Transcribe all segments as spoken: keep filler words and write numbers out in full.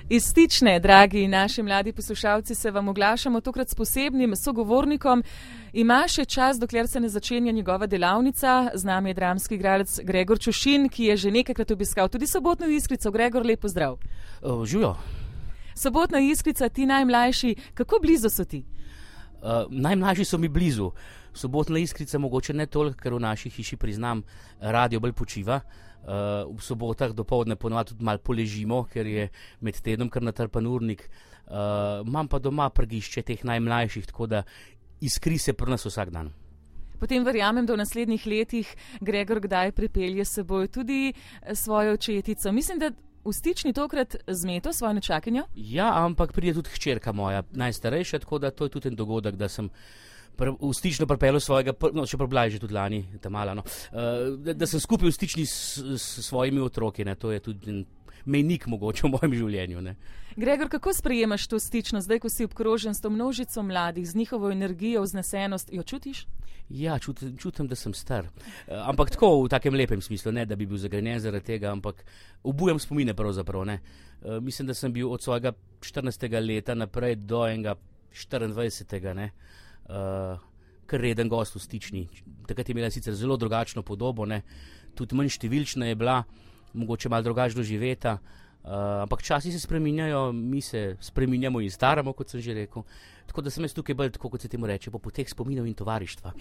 Iz Stične, dragi naši mladi poslušalci, se vam oglašamo tokrat s posebnim sogovornikom. Ima še čas, dokler se ne začenja njegova delavnica. Z nami je dramski igralec Gregor Čušin, ki je že nekajkrat obiskal tudi Sobotno Iskrico. Gregor, lep pozdrav. Uh, Živijo. Sobotna Iskrica, ti najmlajši, kako blizu so ti? Uh, najmlajši so mi blizu. Sobotna Iskrica mogoče ne toliko, ker v naši hiši, priznam, radio bolj počiva. Uh, v sobotah dopoldne ponovadi tudi malo poležimo, ker je med tednom kar natrpan urnik. Uh, imam pa doma prgišče teh najmlajših, tako da iskri se pri nas vsak dan. Potem verjamem, da v naslednjih letih Gregor kdaj pripelje s seboj tudi svojo očetico. Mislim, da v Stični tokrat zmeto svojo nečakinjo? Ja, ampak pride tudi hčerka moja, najstarejša, tako da to je tudi en dogodek, da sem v Stično pripeljal svojega, no, še preblaj že tudi lani, ta mala, no, uh, da, da sem skupaj v Stični s, s svojimi otroki, ne, to je tudi mejnik mogoče v mojem življenju, ne. Gregor, kako sprejemaš to Stično, zdaj, ko si obkrožen s to množico mladih, z njihovo energijo, vznesenost, jo čutiš? Ja, čutim, čutim, da sem star. Uh, ampak tako v takem lepem smislu, ne, da bi bil zagrenjen zaradi tega, ampak obujam spomine pravzaprav, ne. Uh, mislim, da sem bil od svojega štirinajstega leta naprej do enega štiriindvajsetega, ne. Uh, kar reden gost v Stični. Takrat je imela sicer zelo drugačno podobo, ne? Tudi manj številčna je bila, mogoče malo drugačno doživeta, uh, ampak časi se spreminjajo, mi se spreminjamo in staramo, kot sem že rekel. Tako da sem jaz tukaj bolj, tako kot se temu reče, po poteh spominov in tovarištva.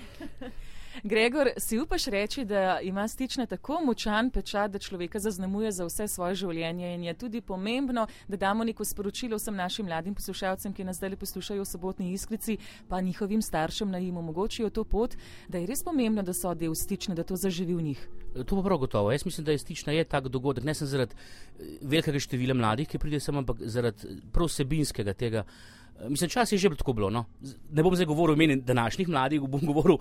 Gregor, si upaš reči, da ima Stična tako močan pečat, da človeka zaznamuje za vse svoje življenje in je tudi pomembno, da damo neko sporočilo vsem našim mladim poslušalcem, ki nas zdaj poslušajo v Sobotni Iskrici, pa njihovim staršem, naj jim omogočijo to pot, da je res pomembno, da so del Stične, da to zaživi v njih. To pa prav gotovo. Jaz mislim, da je Stična je tak dogodek, ne sem zaradi velikega števila mladih, ki pride sem, ampak zaradi prav vsebinskega tega. Mislim, čas je že tako bilo, no. Ne bom zdaj govoril o imenu današnjih mladih, bom govoril o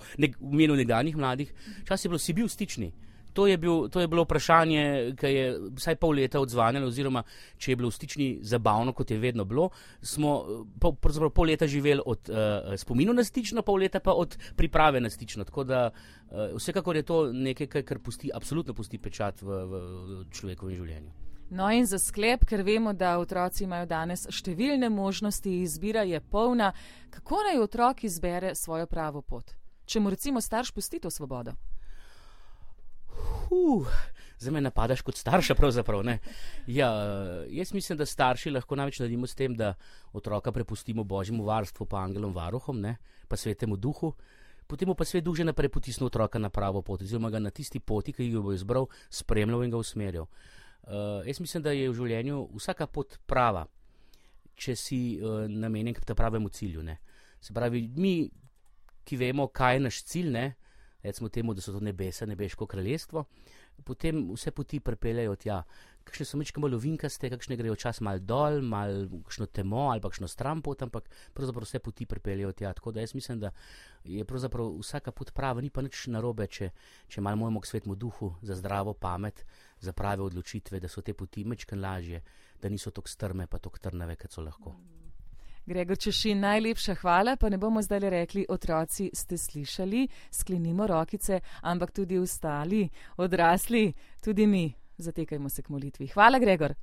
imenu nekdanjih mladih. Čas je bilo, si bil v Stični. To je, bil, to je bilo vprašanje, ki je vsaj pol leta odzvanjalo, oziroma če je bilo v Stični zabavno, kot je vedno bilo, smo pol, pol leta živeli od uh, spominov na Stično, pol leta pa od priprave na Stično. Tako da uh, vsekakor je to nekaj, kar pusti, absolutno pusti pečat v, v človekovem življenju. No in za sklep, ker vemo, da otroci imajo danes številne možnosti, izbira je polna, kako naj otrok izbere svojo pravo pot? Če mu recimo starš pusti to svobodo? Uh, zdaj me napadaš kot starša pravzaprav, ne? Ja, jaz mislim, da starši lahko največ naredimo s tem, da otroka prepustimo Božjemu varstvu, pa angelom varuhom, ne? Pa svetemu duhu. Potem mu pa svet duh že naprej potisne otroka na pravo pot, oziroma ga na tisti poti, ki jo bo izbral, spremljal in ga usmerjal. Uh, jaz mislim, da je v življenju vsaka pot prava, če si uh, namenjen k pravemu cilju, ne. Se pravi, mi, ki vemo, kaj je naš cilj, ne, recimo temu, da so to nebesa, nebeško kraljestvo, potem vse poti pripeljajo tja. Kakšne so mečke malo ovinkaste, kakšne grejo čas malo dol, malo kakšno temo ali pa kakšno stran pot, ampak pravzaprav vse poti pripeljajo tja. Tako da jaz mislim, da je pravzaprav vsaka pot prava, ni pa nič narobe, če, če malo mojemo k svetmu duhu za zdravo pamet, za prave odločitve, da so te poti mečken lažje, da niso tok strme pa tok trnave, kot so lahko. Gregor Čušin, najlepša hvala, pa ne bomo zdaj rekli, otroci ste slišali, sklenimo rokice, ampak tudi ostali, odrasli, tudi mi, zatekajmo se k molitvi. Hvala, Gregor.